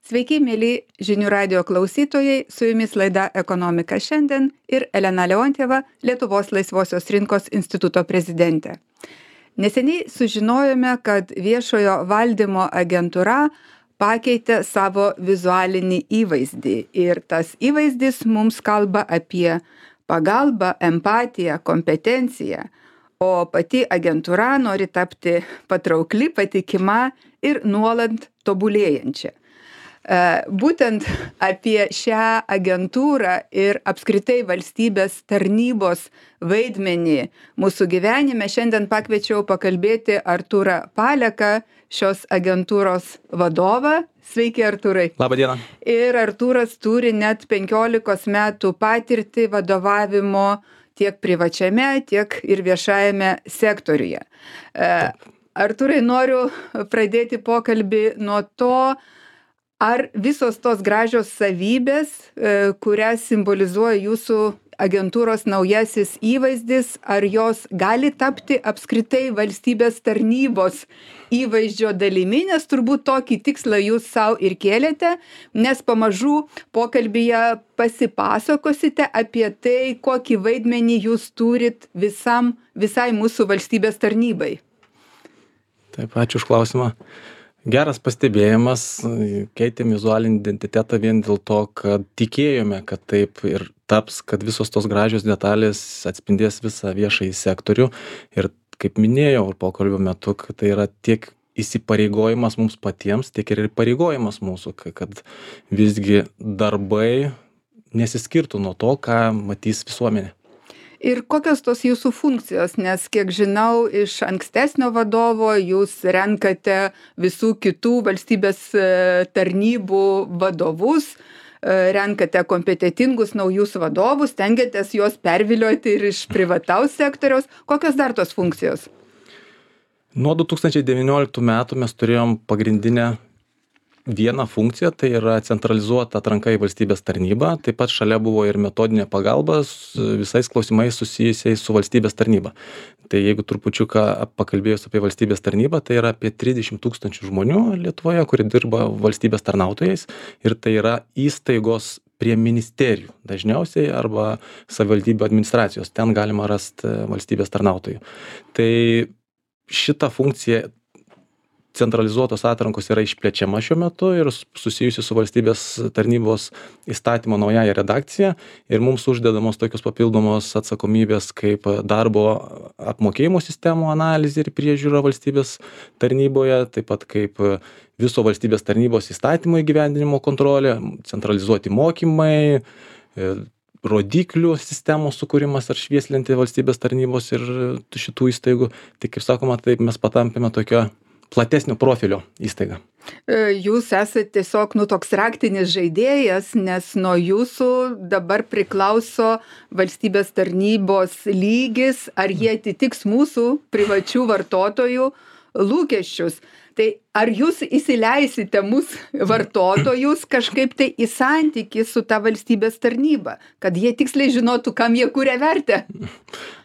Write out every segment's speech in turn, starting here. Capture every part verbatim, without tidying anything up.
Sveiki, mėly žinių radio klausytojai, su jumis laida Ekonomika šiandien ir Elena Leontjeva, Lietuvos laisvosios rinkos instituto prezidentė. Neseniai sužinojome, kad viešojo valdymo agentūra pakeitė savo vizualinį įvaizdį ir tas įvaizdis mums kalba apie pagalbą, empatiją, kompetenciją, o pati agentūra nori tapti patraukli, patikima ir nuolat tobulėjančia. Būtent apie šią agentūrą ir apskritai valstybės tarnybos vaidmenį mūsų gyvenime šiandien pakviečiau pakalbėti Artūrą Paleką, šios agentūros vadovą. Sveiki, Artūrai. Labą dieną. Ir Artūras turi net penkiolikos metų patirtį vadovavimo tiek privačiame, tiek ir viešajame sektoriuje. Taip. Artūrai, noriu pradėti pokalbį nuo to, ar visos tos gražios savybės, kurias simbolizuoja jūsų agentūros naujasis įvaizdis, ar jos gali tapti apskritai valstybės tarnybos įvaizdžio dalimi, nes turbūt tokį tikslą jūs savo ir kėlėte, nes pamažu pokalbyje pasipasakosite apie tai, kokį vaidmenį jūs turit visam, visai mūsų valstybės tarnybai. Taip, ačiū už klausimą. Geras pastebėjimas, keitėm vizualinį identitetą vien dėl to, kad tikėjome, kad taip ir taps, kad visos tos gražios detalės atspindės visą viešąjį sektorių. Ir kaip minėjau pokalbio metu, kad tai yra tiek įsipareigojimas mums patiems, tiek ir pareigojimas mūsų, kad visgi darbai nesiskirtų nuo to, ką matys visuomenė. Ir kokios tos jūsų funkcijos, nes kiek žinau, iš ankstesnio vadovo jūs renkate visų kitų valstybės tarnybų vadovus, renkate kompetentingus naujus vadovus, stengiatės juos pervilioti ir iš privataus sektoriaus. Kokios dar tos funkcijos? Nuo du tūkstančiai devynioliktų metų mes turėjom pagrindinę vieną funkciją, tai yra centralizuota atranka į valstybės tarnybą, taip pat šalia buvo ir metodinė pagalba visais klausimais susijusiais su valstybės tarnyba. Tai jeigu trupučiuką pakalbėjus apie valstybės tarnybą, tai yra apie trisdešimt tūkstančių žmonių Lietuvoje, kurie dirba valstybės tarnautojais, ir tai yra įstaigos prie ministerijų dažniausiai arba savivaldybių administracijos, ten galima rasti valstybės tarnautojų. Tai šita funkcija centralizuotos atrankos yra išplečiama šiuo metu ir susijusi su valstybės tarnybos įstatymo naująja redakcija, ir mums uždedamos tokios papildomos atsakomybės kaip darbo apmokėjimo sistemų analizė ir priežiūra valstybės tarnyboje, taip pat kaip viso valstybės tarnybos įstatymo įgyvendinimo kontrolė, centralizuoti mokymai, rodiklių sistemos sukūrimas ar švieslinti valstybės tarnybos ir šitų įstaigų. Tai kaip sakoma, taip mes patampėme tokio platesnio profilio įstaiga. Jūs esate tiesiog nu, toks raktinis žaidėjas, nes nuo jūsų dabar priklauso valstybės tarnybos lygis, ar jie atitiks mūsų privačių vartotojų lūkesčius. Tai ar jūs įsileisite mūsų vartotojus kažkaip tai į santykį su ta valstybės tarnyba, kad jie tiksliai žinotų, kam jie kuria vertę?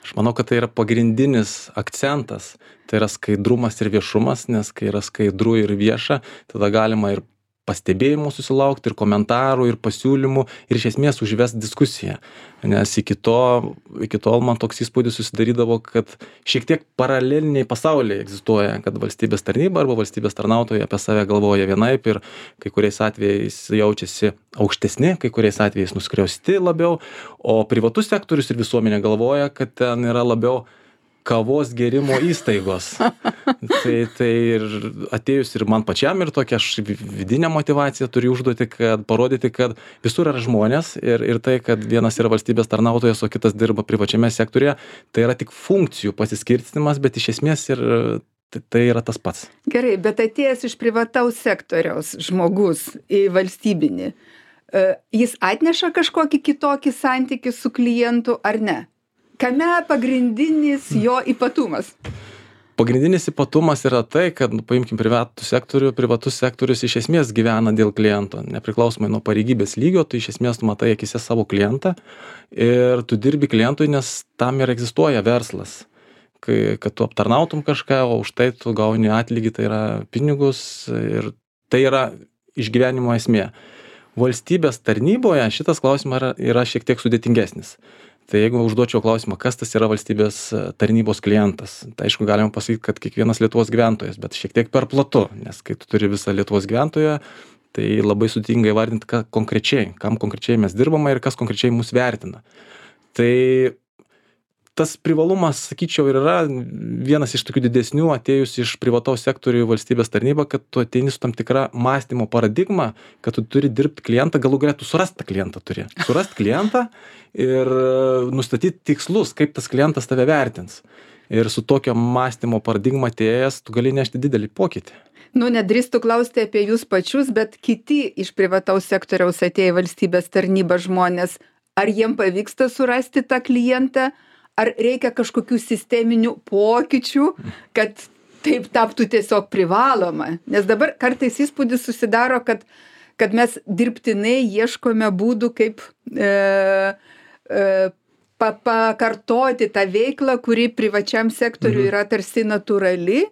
Aš manau, kad tai yra pagrindinis akcentas. Tai yra skaidrumas ir viešumas, nes kai yra skaidru ir vieša, tada galima ir pastebėjimų susilaukti, ir komentarų, ir pasiūlymų, ir iš esmės užvest diskusiją. Nes iki to, iki tol man toks įspūdis susidarydavo, kad šiek tiek paraleliniai pasauliai egzistuoja, kad valstybės tarnyba arba valstybės tarnautojai apie save galvoja vienaip ir kai kuriais atvejais jaučiasi aukštesni, kai kuriais atvejais nuskriausti labiau, o privatus sektorius ir visuomenė galvoja, kad ten yra labiau kavos gerimo įstaigos. tai, tai ir atėjus ir man pačiam ir tokia aš vidinę motivaciją turiu užduoti, kad parodyti, kad visur yra žmonės ir, ir tai, kad vienas yra valstybės tarnautojas, o kitas dirba privačiame sektorėje, tai yra tik funkcijų pasiskirstymas, bet iš esmės ir tai yra tas pats. Gerai, bet atėjęs iš privataus sektoriaus žmogus į valstybinį, jis atneša kažkokį kitokį santykį su klientu ar ne? Kame pagrindinis jo ypatumas? Pagrindinis ypatumas yra tai, kad, nu, paimkim privatų sektorių, privatus sektorius iš esmės gyvena dėl kliento, nepriklausomai nuo pareigybės lygio, tu iš esmės tu matai akise savo klientą ir tu dirbi klientui, nes tam ir egzistuoja verslas. Kai, kad tu aptarnautum kažką, o už tai tu gauni atlygį, tai yra pinigus, ir tai yra išgyvenimo esmė. Valstybės tarnyboje šitas klausimas yra, yra šiek tiek sudėtingesnis. Tai jeigu užduočiau klausimą, kas tas yra valstybės tarnybos klientas, tai aišku galima pasakyti, kad kiekvienas Lietuvos gyventojas, bet šiek tiek per platu, nes kai tu turi visą Lietuvos gyventoją, tai labai sudėtinga įvardinti, ką konkrečiai, kam konkrečiai mes dirbame ir kas konkrečiai mus vertina. Tai tas privalumas, sakyčiau, ir yra vienas iš tokių didesnių atėjus iš privataus sektorių į valstybės tarnybą, kad tu ateini su tam tikra mąstymo paradigma, kad tu turi dirbti klientą, galų galia tu surast tą klientą turi. Surast klientą ir nustatyti tikslus, kaip tas klientas tave vertins. Ir su tokio mąstymo paradigma atėjęs, tu gali nešti didelį pokytį. Nu, nedrįstu klausti apie jūs pačius, bet kiti iš privataus sektoriaus atėję valstybės tarnybą žmonės, ar jiem pavyksta surasti tą klientą? Ar reikia kažkokių sisteminių pokyčių, kad taip taptų tiesiog privaloma? Nes dabar kartais įspūdis susidaro, kad, kad mes dirbtinai ieškome būdų, kaip e, e, pa, pakartoti tą veiklą, kuri privačiam sektoriui yra tarsi natūrali.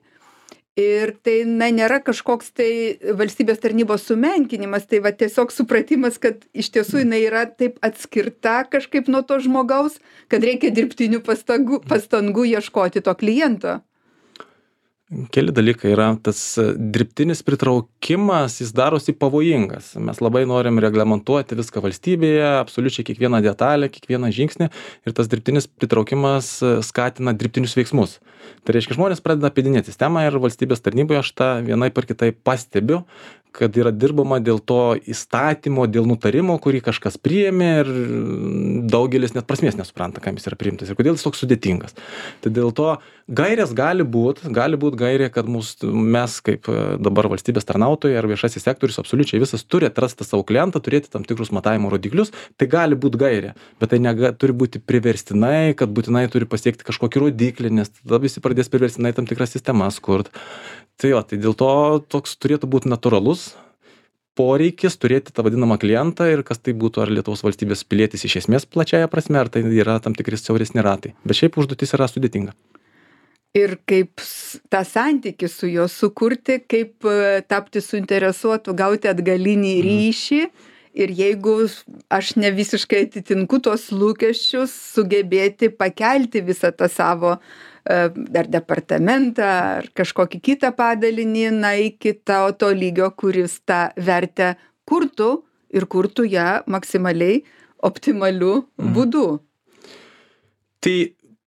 Ir tai na, nėra kažkoks tai valstybės tarnybos sumenkinimas, tai va tiesiog supratimas, kad iš tiesų jinai yra taip atskirta kažkaip nuo to žmogaus, kad reikia dirbtinių pastangų, pastangų ieškoti to kliento. Keli dalykai yra, tas dirbtinis pritraukimas, jis darosi pavojingas. Mes labai norim reglamentuoti viską valstybėje, absoliučiai kiekvieną detalę, kiekvieną žingsnį ir tas dirbtinis pritraukimas skatina dirbtinius veiksmus. Tai reiškia, žmonės pradeda apėdinėti sistemą ir valstybės tarnyboje aš tą vienaip ar kitaip pastebiu, kad yra dirbama dėl to įstatymo, dėl nutarimo, kurį kažkas priėmė ir daugelis net prasmės nesupranta, kam jis yra priimtas ir kodėl jis toks sudėtingas. Tai dėl to gairės gali būt, gali būt gairė, kad mūs, mes kaip dabar valstybės tarnautojai ar viešasis sektorius absoliučiai visas turi atrasti savo klientą, turėti tam tikrus matavimo rodiklius, tai gali būt gairė, bet tai nega, turi būti priverstinai, kad būtinai turi pasiekti kažkokį rodiklį, nes tada visi pradės priverstinai tam tikras sistemas kurt. Tai jo, tai dėl to toks turėtų būti natūralus poreikis turėti tą vadinamą klientą ir kas tai būtų, ar Lietuvos valstybės pilietis iš esmės plačiaja prasme, ar tai yra tam tikri siauresni ratai. Bet šiaip užduotis yra sudėtinga. Ir kaip tą santykį su juo sukurti, kaip tapti suinteresuotu, gauti atgalinį ryšį. Ir jeigu aš ne visiškai atitinku tos lūkesčius, sugebėti pakelti visą tą savo ar departamentą, ar kažkokį kitą padalinį, na, iki to, to lygio, kuris tą vertę kurtų ir kurtų ją maksimaliai optimaliu Mhm. būdu. Tai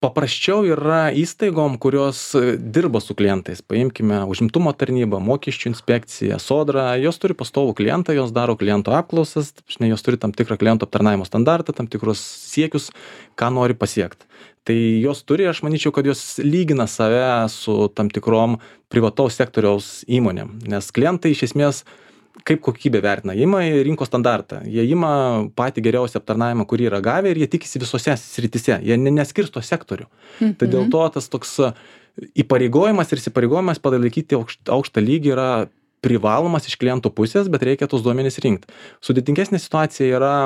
paprasčiau yra įstaigom, kurios dirba su klientais. Paimkime užimtumo tarnybą, mokesčių inspekciją, sodrą. Jos turi pastovų klientą, jos daro kliento apklausas, jos turi tam tikrą kliento aptarnavimo standartą, tam tikrus siekius, ką nori pasiekti. Tai jos turi, aš manyčiau, kad jos lygina save su tam tikrom privataus sektoriaus įmonėm. Nes klientai iš esmės kaip kokybę vertina, jie ima rinkos standartą, jie ima patį geriausią aptarnavimą, kurį yra gavę ir jie tikisi visose srityse, jie neskirsto sektorių. Mhm. Tai dėl to tas toks įpareigojimas ir įsipareigojimas palaikyti aukštą lygį yra privalomas iš kliento pusės, bet reikia tos duomenys rinkti. Sudėtingesnė situacija yra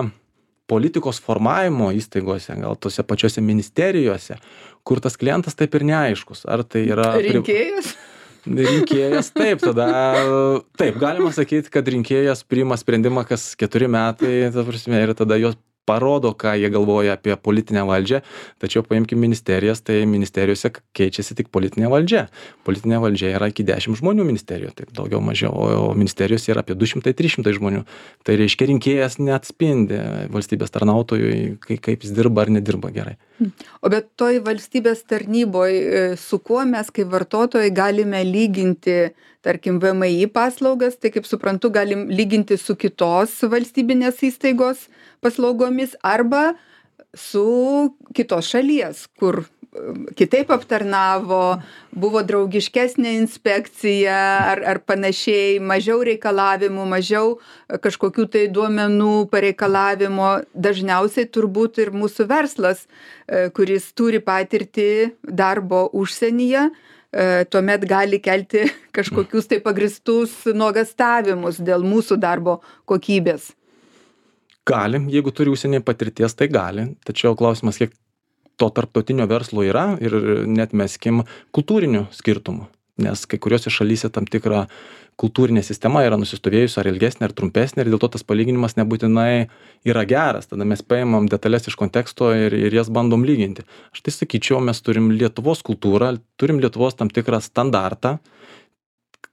politikos formavimo įstaigose, gal tose pačiose ministerijose, kur tas klientas taip ir neaiškus. Ar tai yra rinkėjas? Rinkėjas, taip, tada, taip, galima sakyti, kad rinkėjas priima sprendimą kas keturi metai, ta prasme, ir tada jos parodo, ką jie galvoja apie politinę valdžią, tačiau paimkime ministerijas, tai ministerijose keičiasi tik politinė valdžia. Politinė valdžia yra iki dešimt žmonių ministerijoje, taip daugiau mažiau, o ministerijose yra apie du šimtai trys šimtai žmonių. Tai reiškia, rinkėjas neatspindi valstybės tarnautojui, kaip jis dirba ar nedirba gerai. O bet toj valstybės tarnyboj, su kuo mes kaip vartotojai galime lyginti, tarkim, V M I paslaugas, tai kaip suprantu, galim lyginti su kitos valstybinės įstaigos paslaugomis arba su kitos šalies, kur kitaip aptarnavo, buvo draugiškesnė inspekcija ar, ar panašiai, mažiau reikalavimų, mažiau kažkokių tai duomenų pareikalavimo. Dažniausiai turbūt ir mūsų verslas, kuris turi patirtį darbo užsienyje, tuomet gali kelti kažkokius tai pagristus nuogastavimus dėl mūsų darbo kokybės. Gali, jeigu turi užsienį patirties, tai gali. Tačiau klausimas, kiek to tarptautinio verslo yra ir net meskim kultūrinių skirtumų. nes kai kuriuose šalyse tam tikra kultūrinė sistema yra nusistovėjusi ar ilgesnė, ar trumpesnė ir dėl to tas palyginimas nebūtinai yra geras. Tada mes paimam detalės iš konteksto ir, ir jas bandom lyginti. Aš tai sakyčiau, mes turim Lietuvos kultūrą, turim Lietuvos tam tikrą standartą,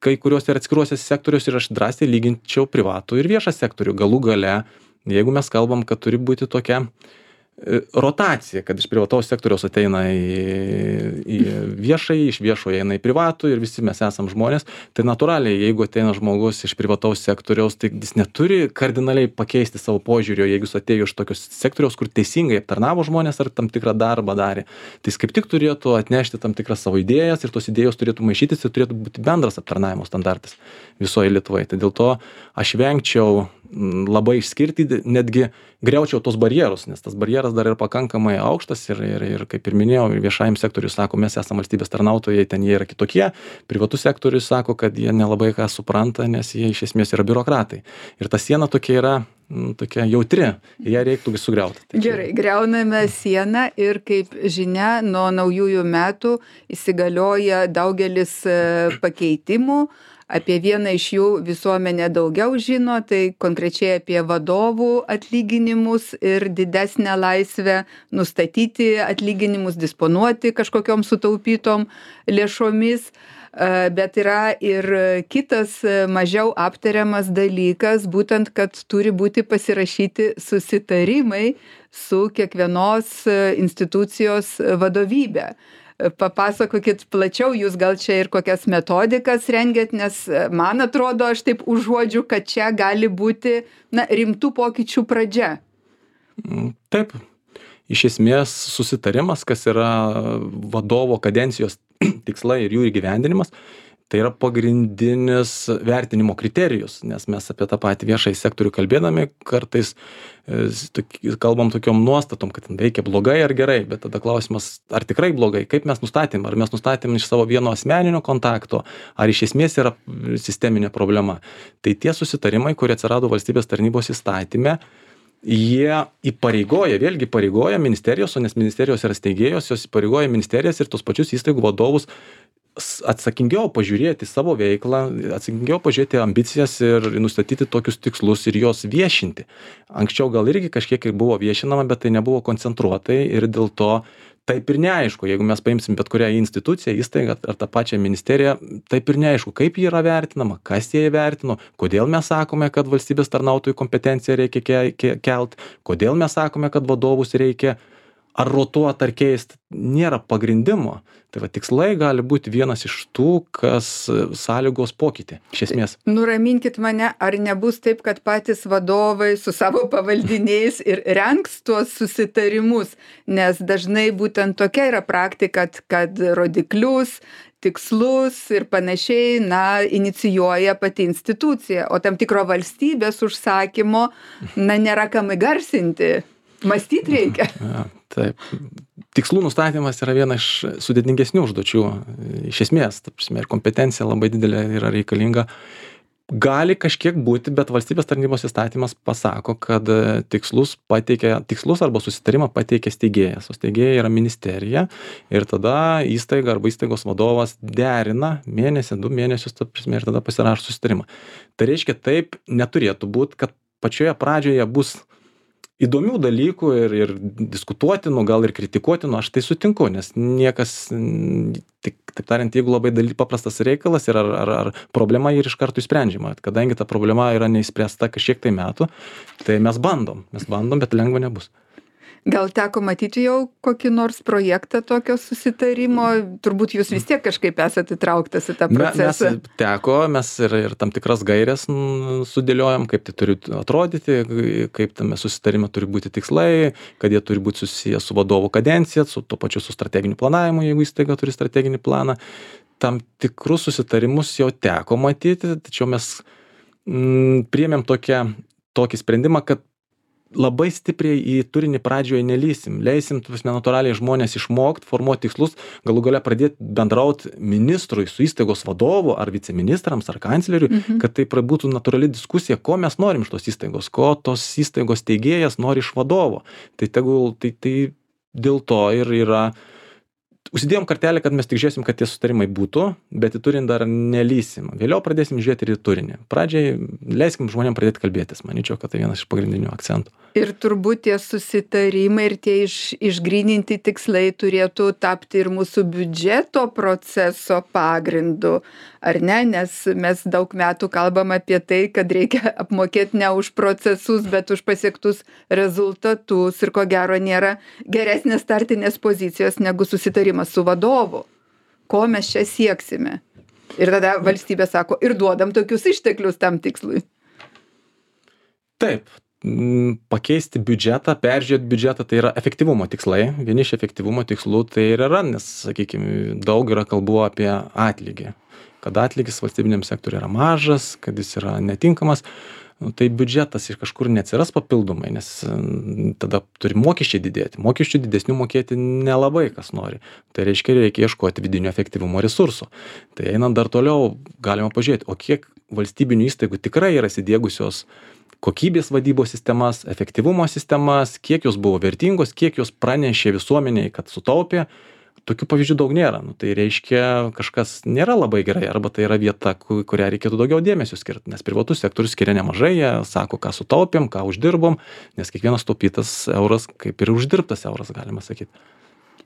kai kuriuose ir atskiruose sektoriuose ir aš drąsiai lyginčiau privatų ir viešą sektorių. Galų gale, jeigu mes kalbam, kad turi būti tokia rotacija, kad iš privataus sektoriaus ateina į, į viešai, iš viešoje eina į privatų ir visi mes esam žmonės, tai natūraliai, jeigu ateina žmogus iš privataus sektoriaus, tai jis neturi kardinaliai pakeisti savo požiūrio, jeigu jis atėjo iš tokios sektoriaus, kur teisingai aptarnavo žmonės ar tam tikrą darbą darė. Tai jis kaip tik turėtų atnešti tam tikras savo idėjas ir tos idėjos turėtų maišytis ir turėtų būti bendras aptarnavimo standartas visoje Lietuvoje. Tai dėl to aš vengčiau labai išskirti, netgi griaučiau tos barjerus, nes tas barjeras dar yra pakankamai aukštas ir, ir, ir kaip ir minėjau, viešajam sektoriui sako, mes esame valstybės tarnautojai, ten jie yra kitokie, privatus sektorius sako, kad jie nelabai ką supranta, nes jie iš esmės yra biurokratai. Ir ta siena tokia yra tokia jautri, ją reiktų sugriauti. Tai Gerai, griauname sieną ir kaip žinia, nuo naujųjų metų įsigalioja daugelis pakeitimų. Apie vieną iš jų visuomenė daugiau žino, tai konkrečiai apie vadovų atlyginimus ir didesnę laisvę nustatyti atlyginimus, disponuoti kažkokiom sutaupytom lėšomis. Bet yra ir kitas mažiau aptariamas dalykas, būtent, kad turi būti pasirašyti susitarimai su kiekvienos institucijos vadovybė. Papasakokit plačiau, jūs gal čia ir kokias metodikas rengiat, nes man atrodo, aš taip užuodžiu, kad čia gali būti na, rimtų pokyčių pradžia. Taip. Iš esmės susitarimas, kas yra vadovo kadencijos tikslai ir jų įgyvendinimas, tai yra pagrindinis vertinimo kriterijus, nes mes apie tą patį viešąjį sektorių kalbėdami kartais kalbam tokiom nuostatom, kad veikia blogai ar gerai, bet tada klausimas, ar tikrai blogai, kaip mes nustatėm, ar mes nustatėm iš savo vieno asmeninio kontakto, ar iš esmės yra sisteminė problema. Tai tie susitarimai, kurie atsirado valstybės tarnybos įstatyme, jie įpareigoja, vėlgi įpareigoja ministerijos, o nes ministerijos yra steigėjos, jos įpareigoja ministerijas ir tos pačius įstaigų vadovus atsakingiau pažiūrėti savo veiklą, atsakingiau pažiūrėti ambicijas ir nustatyti tokius tikslus ir juos viešinti. Anksčiau gal irgi kažkiek ir buvo viešinama, bet tai nebuvo koncentruotai ir dėl to taip ir neaišku, jeigu mes paimsim bet kurią instituciją, įstaigą ar tą pačią ministeriją, taip ir neaišku, kaip ji yra vertinama, kas jie įvertino, kodėl mes sakome, kad valstybės tarnautojų kompetenciją reikia ke ke kelt, kodėl mes sakome, kad vadovus reikia ar rotuot, ar keist, nėra pagrindimo. Tai va, tikslai gali būti vienas iš tų, kas sąlygos pokytį, iš esmės. Nuraminkit mane, ar nebus taip, kad patys vadovai su savo pavaldiniais ir rengs tuos susitarimus, nes dažnai būtent tokia yra praktika, kad rodiklius, tikslus ir panašiai, na, inicijuoja pati institucija, o tam tikro valstybės užsakymo, na, nėra kam įgarsinti. Mąstyti reikia. Ja, taip. Tikslų nustatymas yra viena iš sudėtingesnių užduočių. Iš esmės, ta prasme, ir kompetencija labai didelė yra reikalinga. Gali kažkiek būti, bet valstybės tarnybos įstatymas pasako, kad tikslus pateikia, tikslus arba susitarimą pateikia steigėjas. O steigėja yra ministerija ir tada įstaiga arba įstaigos vadovas derina mėnesį, du mėnesius, ta prasme, ir tada pasirašo susitarimą. Tai reiškia, taip neturėtų būti, kad pačioje pradžioje bus įdomių dalykų ir, ir diskutuotinų, gal ir kritikuotinų, aš tai sutinku, nes niekas, tik, taip tariant, jeigu labai daly, paprastas reikalas ir ar, ar, ar problema ir iš karto išsprendžiama, kadangi ta problema yra neįspręsta kažkiek tai metų, tai mes bandom, mes bandom, bet lengva nebus. Gal teko matyti jau kokį nors projektą tokio susitarimo? Turbūt jūs vis tiek kažkaip esate įtrauktas į tą procesą. Mes teko, mes ir, ir tam tikras gairias sudėliojam, kaip tai turi atrodyti, kaip tame susitarime turi būti tikslai, kad jie turi būti susiję su vadovų kadencija, su tuo pačiu su strateginiu planavimu, jeigu įstaiga turi strateginį planą. Tam tikrus susitarimus jau teko matyti, tačiau mes mm, priėmėm tokią, tokį sprendimą, kad labai stipriai į turinį pradžioje nelysim, leisim natūraliai žmonės išmokt, formuoti tikslus, galų gale pradėti bendrauti ministrui su įstaigos vadovu ar viceministrams ar kancleriui, mhm. kad tai būtų natūrali diskusija, ko mes norim iš tos įstaigos, ko tos įstaigos steigėjas nori iš vadovo. Tai tegul, tai, tai dėl to ir yra užsidėjom kartelę, kad mes tik žiūrėsim, kad tie sutarimai būtų, bet į turinį dar nelysim. Vėliau pradėsim žiūrėti ir į turinį. Pradžiai leiskim žmonėm pradėti kalbėtis. Manyčiau, kad tai vienas iš pagrindinių akcentų. Ir turbūt tie susitarimai ir tie iš, išgryninti tikslai turėtų tapti ir mūsų biudžeto proceso pagrindu, ar ne? Nes mes daug metų kalbam apie tai, kad reikia apmokėti ne už procesus, bet už pasiektus rezultatus ir ko gero nėra geresnės startinės pozicijos negu susitarimas su vadovu. Ko mes čia sieksime? Ir tada valstybė sako, ir duodam tokius išteklius tam tikslui. Taip. Pakeisti biudžetą, peržiūrėti biudžetą, tai yra efektyvumo tikslai. Vieni iš efektyvumo tikslų tai ir yra, nes, sakykime, daug yra kalbų apie atlygį. Kad atlygis valstybiniam sektoriui yra mažas, kad jis yra netinkamas, nu, tai biudžetas iš kažkur neatsiras papildomai, nes tada turi mokesčiai didėti. Mokesčių didesnių mokėti nelabai kas nori. Tai reiškia, reikia ieškoti vidinio efektyvumo resursų. Tai einant dar toliau, galima pažiūrėti, o kiek valstybinių įstaigų tikrai yra įsidiegusios kokybės vadybos sistemas, efektyvumo sistemas, kiek jos buvo vertingos, kiek jos pranešė visuomeniai, kad sutaupė. Tokių pavyzdžių daug nėra. Nu, tai reiškia, kažkas nėra labai gerai, arba tai yra vieta, kurią reikėtų daugiau dėmesio skirti, nes privatus sektorius skiria nemažai, jie sako, ką sutaupėm, ką uždirbom, nes kiekvienas taupytas euras, kaip ir uždirbtas euras, galima sakyti.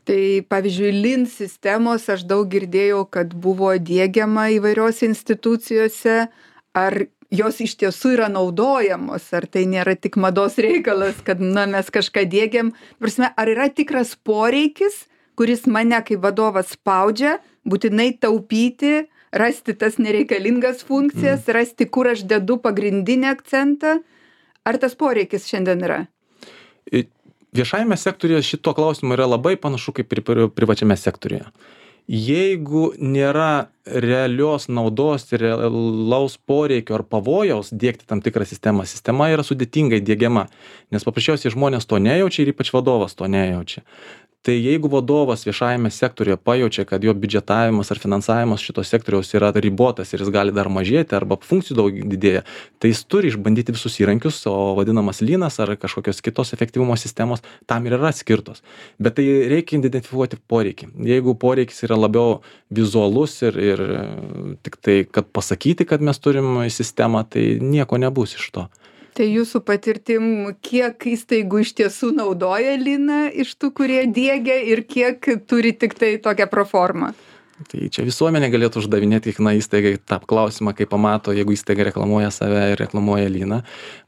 Tai pavyzdžiui, Lean sistemos aš daug girdėjau, kad buvo diegiama įvairiose institucijose, ar jos iš tiesų yra naudojamos, ar tai nėra tik mados reikalas, kad na, mes kažką diegiam. Prasme, ar yra tikras poreikis, kuris mane kaip vadovas spaudžia, būtinai taupyti, rasti tas nereikalingas funkcijas, mm. rasti, kur aš dedu pagrindinį akcentą. Ar tas poreikis šiandien yra? Viešajame sektoriuje šito klausimo yra labai panašu kaip ir privačiame sektoriuje. Jeigu nėra realios naudos ir realaus poreikio ar pavojaus diegti tam tikrą sistemą, sistema yra sudėtingai diegiama, nes paprasčiausiai žmonės to nejaučia ir ypač vadovas to nejaučia. Tai jeigu vadovas viešajame sektoriuje pajaučia, kad jo biudžetavimas ar finansavimas šito sektoriaus yra ribotas ir jis gali dar mažėti arba funkcijų daug didėja, tai jis turi išbandyti visus įrankius, o vadinamas lynas ar kažkokios kitos efektyvumo sistemos tam ir yra skirtos. Bet tai reikia identifikuoti poreikį. Jeigu poreikis yra labiau vizualus ir, ir tik tai, kad pasakyti, kad mes turim sistemą, tai nieko nebus iš to. Tai jūsų patirtim, kiek įstaigų iš tiesų naudoja lyną iš tų, kurie diegia ir kiek turi tik tai tokią proformą? Tai čia visuomenė galėtų uždavinėti kiekvieną įstaigą tą klausimą, kai pamato, jeigu įstaiga reklamuoja save ir reklamuoja lyną.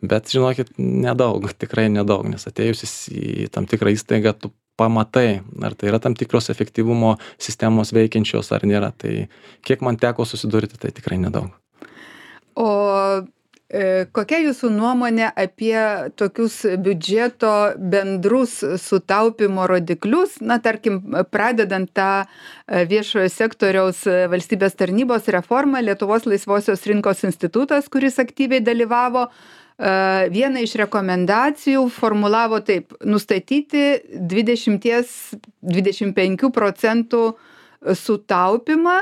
Bet žinokit, nedaug, tikrai nedaug, nes atėjusis į tam tikrą įstaigą, tu pamatai, ar tai yra tam tikros efektyvumo sistemos veikiančios ar nėra. Tai kiek man teko susidurti, tai tikrai nedaug. O kokia jūsų nuomonė apie tokius biudžeto bendrus sutaupimo rodiklius, na, tarkim, pradedant tą viešojo sektoriaus valstybės tarnybos reformą, Lietuvos laisvosios rinkos institutas, kuris aktyviai dalyvavo, vieną iš rekomendacijų formulavo taip, nustatyti dvidešimt dvidešimt penkių procentų sutaupimą,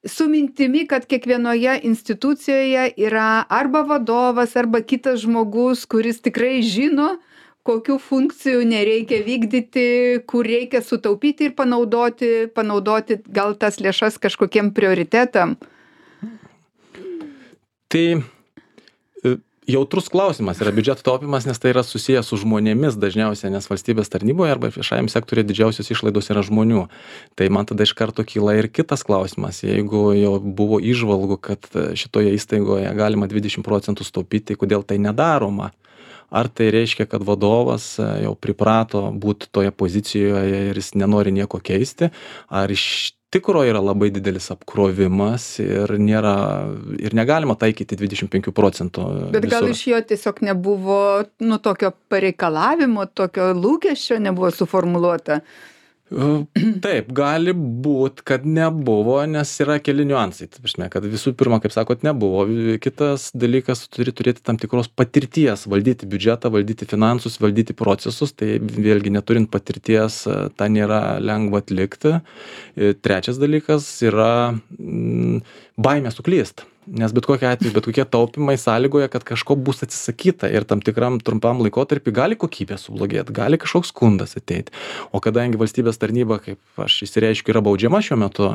su mintimi, kad kiekvienoje institucijoje yra arba vadovas, arba kitas žmogus, kuris tikrai žino, kokių funkcijų nereikia vykdyti, kur reikia sutaupyti ir panaudoti, panaudoti gal tas lėšas kažkokiem prioritetam. Tai jautrus klausimas yra biudžeto taupimas, nes tai yra susijęs su žmonėmis dažniausiai, nes valstybės tarnyboje arba viešajam sektoriuje didžiausios išlaidos yra žmonių. Tai man tada iš karto kyla ir kitas klausimas. Jeigu jau buvo įžvalgų, kad šitoje įstaigoje galima dvidešimt procentų sutaupyti, tai kodėl tai nedaroma? Ar tai reiškia, kad vadovas jau priprato būti toje pozicijoje ir jis nenori nieko keisti? Ar iš tikro yra labai didelis apkrovimas ir nėra, ir negalima taikyti dvidešimt penkių procentų. Bet gal visur. Iš jo tiesiog nebuvo, nu, tokio pareikalavimo, tokio lūkesčio nebuvo suformuluota? Taip, gali būt, kad nebuvo, nes yra keli niuansai. Tai prasme, kad visų pirma, kaip sakot, nebuvo. Kitas dalykas, turi turėti tam tikros patirties, valdyti biudžetą, valdyti finansus, valdyti procesus. Tai vėlgi neturint patirties, tą nėra lengva atlikti. Trečias dalykas yra mm, baimė suklyst. nes bet kokiu atveju bet kokie taupymai sąlygoja, kad kažko bus atsisakyta ir tam tikram trumpam laikotarpį gali kokybė sublogėti, gali kažkoks skundas ateiti. O kadangi valstybės tarnyba, kaip aš įsireiškiu, yra baudžiama šiuo metu,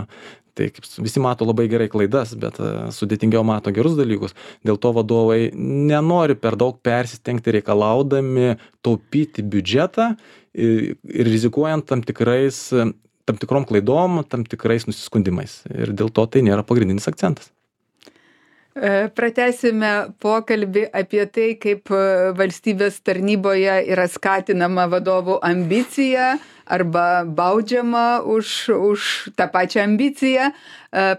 tai kaip visi mato labai gerai klaidas, bet sudėtingiau mato gerus dalykus. Dėl to vadovai nenori per daug persistengti reikalaudami taupyti biudžetą ir, ir rizikuojant tam tikrais tam tikrom klaidom, tam tikrais nusiskundimais. Ir dėl to tai nėra pagrindinis akcentas. Pratęsime pokalbį apie tai, kaip valstybės tarnyboje yra skatinama vadovų ambicija arba baudžiama už, už tą pačią ambiciją.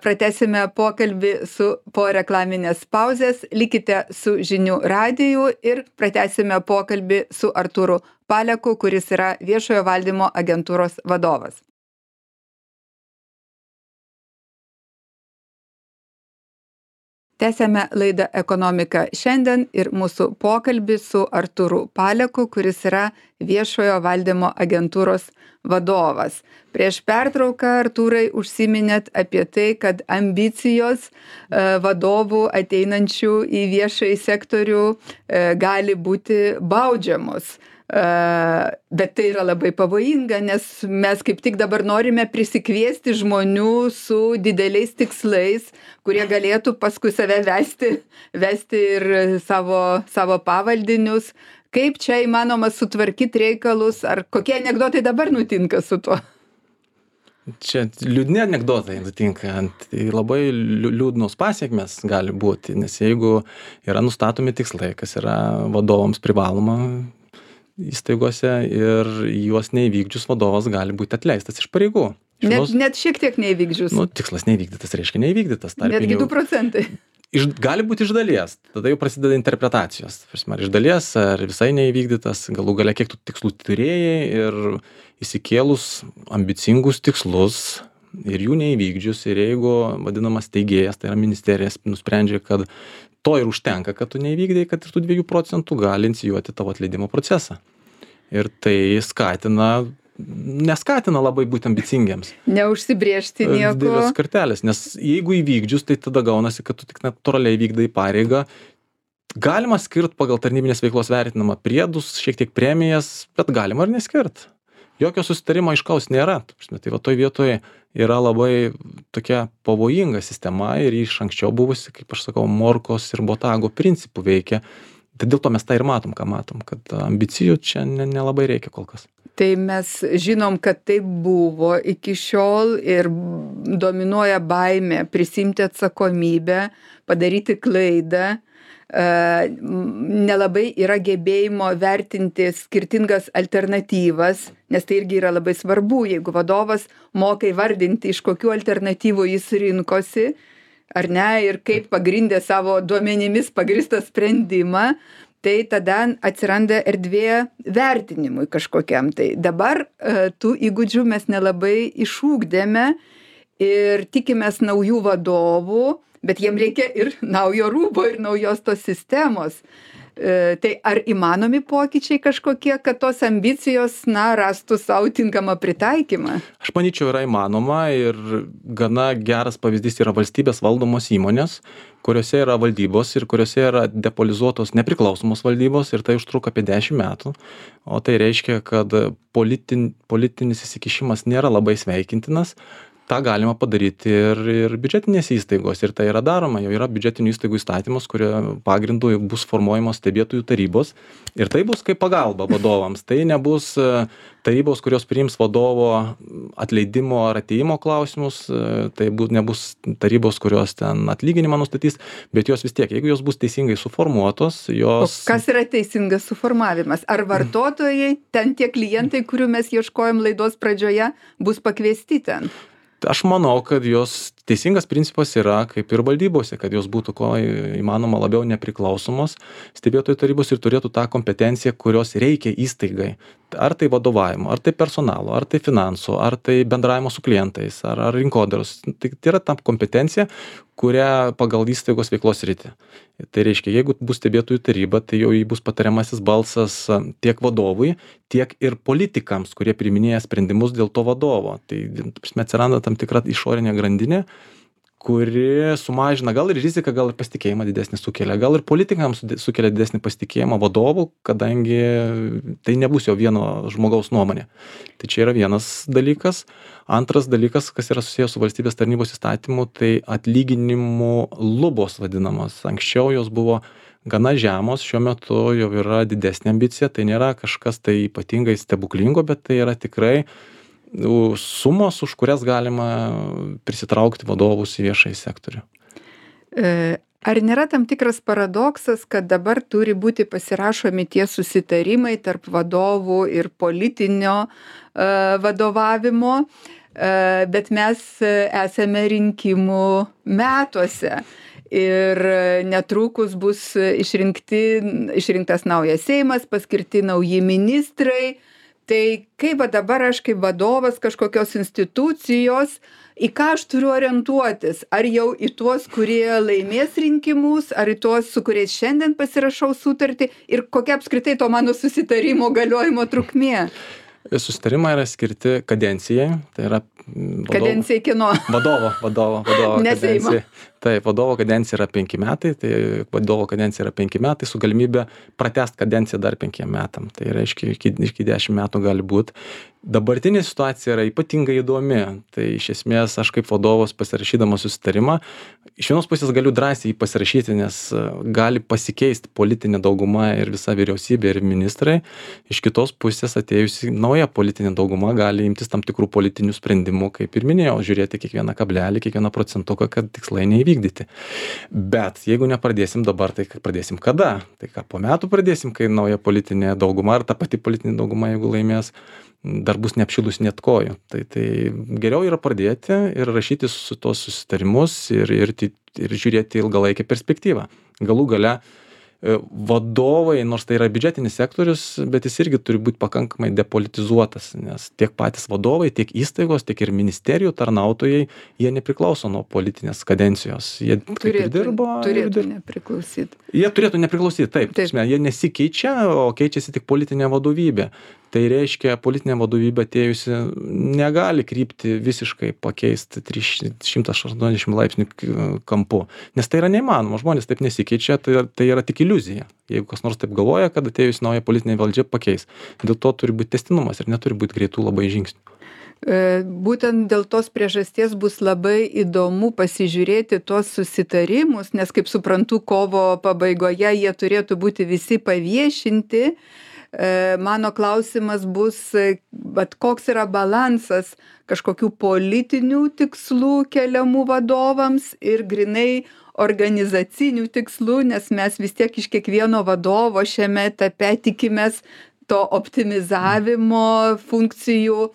Pratęsime pokalbį su po reklaminės pauzės. Likite su Žinių radiju ir pratęsime pokalbį su Artūru Paleku, kuris yra viešojo valdymo agentūros vadovas. Tęsiame laidą Ekonomika šiandien ir mūsų pokalbį su Artūru Paleku, kuris yra viešojo valdymo agentūros vadovas. Prieš pertrauką, Artūrai, užsiminėt apie tai, kad ambicijos vadovų ateinančių į viešąjį sektorių gali būti baudžiamos. Bet tai yra labai pavojinga, nes mes kaip tik dabar norime prisikviesti žmonių su dideliais tikslais, kurie galėtų paskui save vesti, vesti ir savo, savo pavaldinius. Kaip čia įmanoma sutvarkyti reikalus, ar kokie anekdotai dabar nutinka su tuo? Čia liūdni anekdotai nutinka, tai labai liūdnos pasiekmes gali būti, nes jeigu yra nustatomi tikslai, kas yra vadovams privaloma įstaigose ir juos neįvykdžius vadovas gali būti atleistas iš pareigų. Net, net šiek tiek neįvykdžius. Nu, tikslas neįvykdytas, reiškia neįvykdytas. Netgi du procentai. Iš, gali būti iš dalies, tada jau prasideda interpretacijos. Ar iš dalies, ar visai neįvykdytas, galų gale kiek tų tikslų turėjai ir įsikėlus ambicingus tikslus ir jų neįvykdžius, ir jeigu vadinamas teigėjas, tai yra ministerijas, nusprendžia, kad to ir užtenka, kad tu neįvykdai, kad ir tų dviejų procentų gali inicijuoti tavo atleidimo procesą. Ir tai skatina, neskatina labai būti ambicingiems. Neužsibriežti nieko. Didelės kartelės, nes jeigu įvykdžius, tai tada gaunasi, kad tu tik natūraliai vykdai pareigą. Galima skirt pagal tarnybinės veiklos vertinamą priedus, šiek tiek premijas, bet galima ir neskirt. Jokio susitarimo aiškaus nėra. Tai va toj vietoje yra labai tokia pavojinga sistema ir iš anksčiau buvusi, kaip aš sakau, morkos ir botago principų veikia. Tai dėl to mes tą ir matom, ką matom, kad ambicijų čia nelabai reikia kol kas. Tai mes žinom, kad tai buvo iki šiol ir dominuoja baimė prisimti atsakomybę, padaryti klaidą. Nelabai yra gebėjimo vertinti skirtingas alternatyvas, nes tai irgi yra labai svarbu, jeigu vadovas moka įvardinti, iš kokių alternatyvų jis rinkosi, ar ne, ir kaip pagrindė savo duomenimis pagristą sprendimą, tai tada atsiranda erdvė vertinimui kažkokiam. Tai dabar tų įgūdžių mes nelabai išūgdėme ir tikimės naujų vadovų, bet jiem reikia ir naujo rūbo, ir naujos tos sistemos. E, tai ar įmanomi pokyčiai kažkokie, kad tos ambicijos, na, rastų savo tinkamą pritaikymą? Aš manyčiau, yra įmanoma ir gana geras pavyzdys yra valstybės valdomos įmonės, kuriuose yra valdybos ir kuriuose yra depolizuotos nepriklausomos valdybos ir tai užtruko apie dešimt metų. O tai reiškia, kad politin, politinis įsikišimas nėra labai sveikintinas. tą galima padaryti ir ir biudžetinėse įstaigose ir tai yra daroma. Jau yra biudžetinių įstaigų įstatymas, kurio pagrindu bus formuojamos stebėtojų tarybos ir tai bus kaip pagalba vadovams. Tai nebus tarybos, kurios priims vadovo atleidimo ar atėjimo klausimus, tai bus, nebus tarybos, kurios ten atlyginimą nustatys, bet jos vis tiek, jeigu jos bus teisingai suformuotos, jos... O kas yra teisingas suformavimas? Ar vartotojai, ten tie klientai, kurių mes ieškojom laidos pradžioje, bus pakviesti ten? Aš manau, kad jos teisingas principas yra kaip ir valdybose, kad jos būtų kuo įmanoma labiau nepriklausomos stebėtojų tarybos ir turėtų tą kompetenciją, kurios reikia įstaigai. Ar tai vadovavimo, ar tai personalo, ar tai finansų, ar tai bendravimo su klientais, ar, ar rinkodaros. Tai, tai yra ta kompetencija, kurią pagal įstaigos veiklos sritį. Tai reiškia, jeigu bus stebėtojų taryba, tai jau jį bus patariamasis balsas tiek vadovui, tiek ir politikams, kurie priiminėja sprendimus dėl to vadovo. Tai atsiranda tam tikra išorinė grandinė, kuri sumažina gal ir riziką, gal ir pasitikėjimą didesnį sukelia, gal ir politikams sukelia didesnį pasitikėjimą vadovų, kadangi tai nebus jau vieno žmogaus nuomonė. Tai čia yra vienas dalykas. Antras dalykas, kas yra susijęs su valstybės tarnybos įstatymu, tai atlyginimų lubos vadinamos. Anksčiau jos buvo gana žemos, šiuo metu jau yra didesnė ambicija, tai nėra kažkas tai ypatingai stebuklingo, bet tai yra tikrai sumos, už kurias galima prisitraukti vadovus į viešąjį sektorių. Ar nėra tam tikras paradoksas, kad dabar turi būti pasirašomi tie susitarimai tarp vadovų ir politinio vadovavimo, bet mes esame rinkimų metuose ir netrukus bus išrinkti, išrinktas naujas Seimas, paskirti nauji ministrai. Tai kaip dabar aš kaip vadovas kažkokios institucijos, į ką aš turiu orientuotis? Ar jau į tuos, kurie laimės rinkimus, ar į tuos, su kuriais šiandien pasirašau sutartį ir kokia apskritai to mano susitarimo galiojimo trukmė? Susitarimai yra skirti kadencijai, tai yra vadovo, kadencijai kino. Vadovo, vadovo, vadovo Ne kadencijai. Taip, vadovo kadencija yra penki metai, tai vadovo kadencija yra penki metai su galimybė pratęst kadenciją dar penkiem metam. Tai reiškia, iki, iki dešimt metų gali būti. Dabartinė situacija yra ypatingai įdomi. Tai iš esmės aš kaip vadovas pasirašydamas susitarimą, iš vienos pusės galiu drąsiai jį pasirašyti, nes gali pasikeisti politinė dauguma ir visa vyriausybė ir ministrai. Iš kitos pusės atėjusi nauja politinė dauguma gali imtis tam tikrų politinių sprendimų, kaip ir minėjau, žiūrėti kiekvieną kablelį, kiekvieną procentuką, kad tikslai neįvykdyti. Bet jeigu nepradėsim dabar, tai pradėsim kada? Tai ką, po metų pradėsim, kai nauja politinė dauguma ar ta pati politinė dauguma, jeigu laimės, dar bus neapšilus net kojų. Tai, tai geriau yra pradėti ir rašyti su tos susitarimus ir, ir, ir žiūrėti ilgalaikę perspektyvą. Galų gale vadovai, nors tai yra biudžetinis sektorius, bet jis irgi turi būti pakankamai depolitizuotas, nes tiek patys vadovai, tiek įstaigos, tiek ir ministerijų tarnautojai, jie nepriklauso nuo politinės kadencijos. Jie turėtų, dirbo, turėtų dirbo. nepriklausyti. Jie turėtų nepriklausyti, taip. Taip. taip. Jie nesikeičia, o keičiasi tik politinė vadovybė. Tai reiškia, politinė vadovybė atėjusi negali krypti visiškai pakeisti šimtas aštuoniasdešimt laipsnių kampu, nes tai yra neįmanoma, žmonės taip nesikeičia, tai, tai yra tik iliuzija. Jeigu kas nors taip galvoja, kad atėjus nauja politinė valdžia pakeis. Dėl to turi būti tęstinumas ir neturi būti greitų labai žingsnių. Būtent dėl tos priežasties bus labai įdomu pasižiūrėti tuos susitarimus, nes kaip suprantu, kovo pabaigoje jie turėtų būti visi paviešinti. Mano klausimas bus, bet koks yra balansas kažkokių politinių tikslų keliamų vadovams ir grinai organizacinių tikslų, nes mes vis tiek iš kiekvieno vadovo šiame etape tikimės to optimizavimo funkcijų,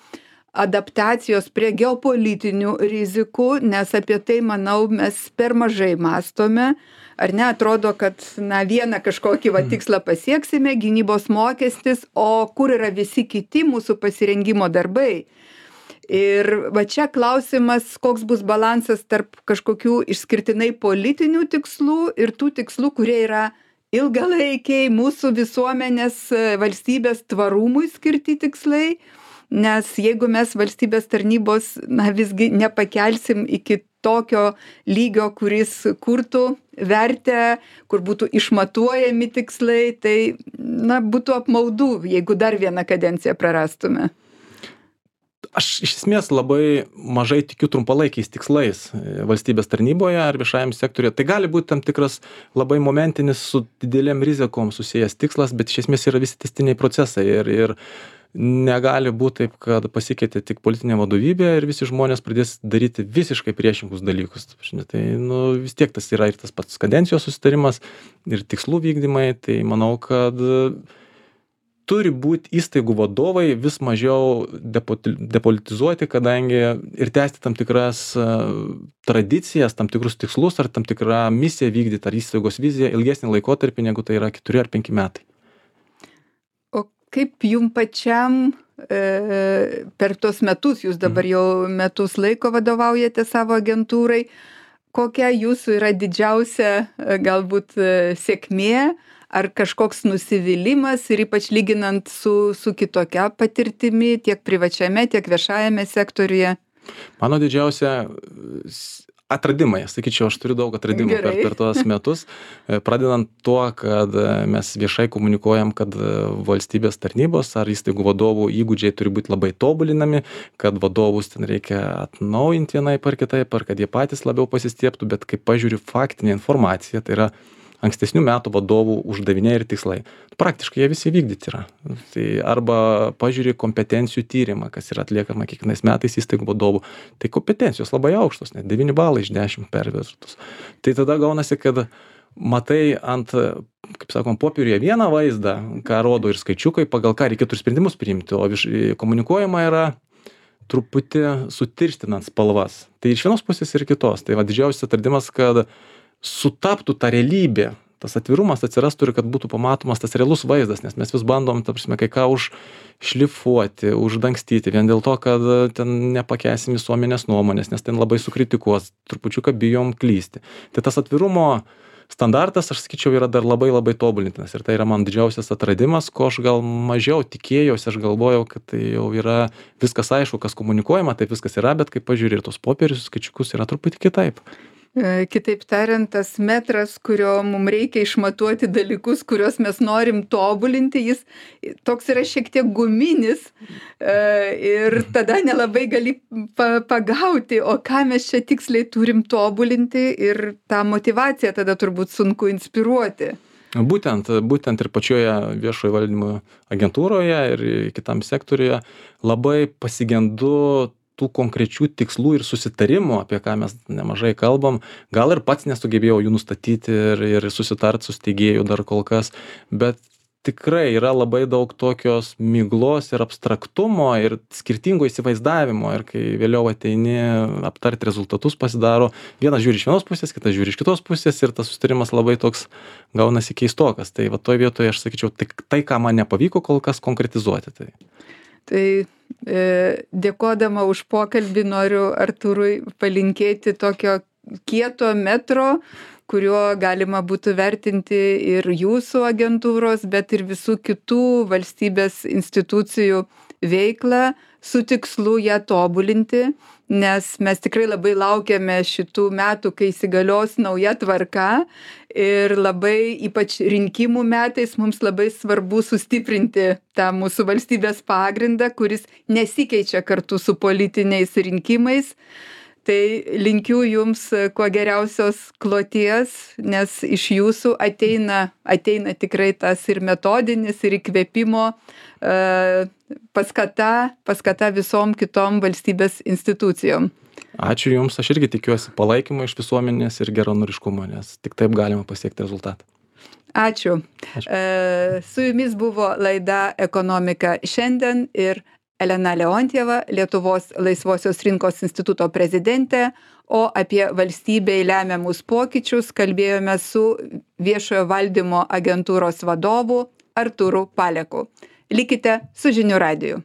adaptacijos prie geopolitinių rizikų, nes apie tai, manau, mes per mažai mąstome. Ar ne, atrodo, kad na, vieną kažkokį va, tikslą pasieksime, gynybos mokestis, o kur yra visi kiti mūsų pasirengimo darbai. Ir va čia klausimas, koks bus balansas tarp kažkokių išskirtinai politinių tikslų ir tų tikslų, kurie yra ilgalaikiai mūsų visuomenės valstybės tvarumui skirti tikslai. Nes jeigu mes valstybės tarnybos na, visgi nepakelsim iki tokio lygio, kuris kurtų vertę, kur būtų išmatuojami tikslai, tai na, būtų apmaudu, jeigu dar vieną kadenciją prarastume. Aš iš esmės labai mažai tikiu trumpalaikiais tikslais valstybės tarnyboje ar viešajam sektoriuje. Tai gali būti tam tikras labai momentinis su didelėm rizikom susijęs tikslas, bet iš esmės yra visi tęstiniai procesai ir, ir negali būti taip, kad pasikeitė tik politinė vadovybė ir visi žmonės pradės daryti visiškai priešingus dalykus. Tai nu, vis tiek tas yra ir tas pats kadencijos susitarimas ir tikslų vykdymai. Tai manau, kad turi būti įstaigų vadovai vis mažiau depolitizuoti, kadangi ir tęsti tam tikras tradicijas, tam tikrus tikslus ar tam tikrą misiją vykdyti ar įstaigos viziją ilgesnį laikotarpį, negu tai yra keturi ar penki metai. O kaip jum pačiam e, per tos metus, jūs dabar jau metus laiko vadovaujate savo agentūrai, kokia jūsų yra didžiausia galbūt sėkmė, ar kažkoks nusivylimas ir ypač lyginant su, su kitokia patirtimi tiek privačiame, tiek viešajame sektoriuje? Mano didžiausia atradimai, sakyčiau, aš turiu daug atradimų per, per tuos metus, pradedant tuo, kad mes viešai komunikuojam, kad valstybės tarnybos ar įstaigų vadovų įgūdžiai turi būti labai tobulinami, kad vadovus ten reikia atnaujinti vienaip ar kitaip, ar kad jie patys labiau pasistiebtų, bet kai pažiūriu faktinę informaciją, tai yra ankstesnių metų vadovų uždaviniai ir tikslai. Praktiškai jie visi vykdyti yra. Tai arba pažiūrė kompetencijų tyrimą, kas yra atliekama kiekvienais metais įstaigų vadovų. Tai kompetencijos labai aukštos, net devyni balai iš dešimt pervertus. Tai tada gaunasi, kad matai ant, kaip sakom, popieriuje vieną vaizdą, ką rodo ir skaičiukai, pagal ką reikėtų sprendimus priimti, o viš, komunikuojama yra truputį sutirštinant spalvas. Tai iš vienos pusės ir kitos. Tai va didžiausias atradimas, kad sutaptų ta realybė, tas atvirumas atsirastų ir kad būtų pamatomas tas realus vaizdas, nes mes vis bandom, ta prasme, kai ką užšlifuoti, uždangstyti, vien dėl to, kad ten nepakęsim visuomenės nuomonės, nes ten labai sukritikuos, trupučiuką bijom klysti. Tai tas atvirumo standartas, aš sakyčiau, yra dar labai labai tobulintinas ir tai yra man didžiausias atradimas, ko aš gal mažiau tikėjausi, aš galvojau, kad tai jau yra viskas aišku, kas komunikuojama, taip viskas yra, bet kai pažiūrė ir tos popierius, skaičiukus, yra truputį kitaip. Kitaip tariant, tas metras, kurio mums reikia išmatuoti dalykus, kuriuos mes norim tobulinti, jis toks yra šiek tiek guminis ir tada nelabai gali pagauti, o ką mes čia tiksliai turim tobulinti ir tą motivaciją tada turbūt sunku inspiruoti. Būtent, būtent ir pačioje viešojo valdymo agentūroje ir kitam sektoriuje labai pasigendu tų konkrečių tikslų ir susitarimų, apie ką mes nemažai kalbam, gal ir pats nesugebėjau jų nustatyti ir, ir susitart su steigėju dar kol kas, bet tikrai yra labai daug tokios miglos ir abstraktumo ir skirtingo įsivaizdavimo ir kai vėliau ateini aptarti rezultatus pasidaro, vienas žiūri iš vienos pusės, kitas žiūri iš kitos pusės ir tas susitarimas labai toks gaunasi keistokas. Tai va toj vietoje aš sakyčiau, tai, tai ką man nepavyko kol kas konkretizuoti. Tai. Tai e, dėkodama už pokalbį noriu Artūrui palinkėti tokio kieto metro, kuriuo galima būtų vertinti ir jūsų agentūros, bet ir visų kitų valstybės institucijų veiklą su tikslu ją tobulinti, nes mes tikrai labai laukiame šitų metų, kai įsigalios nauja tvarka ir labai ypač rinkimų metais mums labai svarbu sustiprinti tą mūsų valstybės pagrindą, kuris nesikeičia kartu su politiniais rinkimais. Tai linkiu jums kuo geriausios kloties, nes iš jūsų ateina, ateina tikrai tas ir metodinis, ir įkvėpimo e, paskata, paskata visom kitom valstybės institucijom. Ačiū Jums, aš irgi tikiuosi palaikymo iš visuomenės ir geranoriškumo, nes tik taip galima pasiekti rezultatą. Ačiū. Ačiū. E, su Jumis buvo laida Ekonomika šiandien ir Elena Leontjeva, Lietuvos laisvosios rinkos instituto prezidentė, o apie valstybei lemiamus pokyčius kalbėjome su viešojo valdymo agentūros vadovu Artūru Paleku. Likite su Žinių radiju.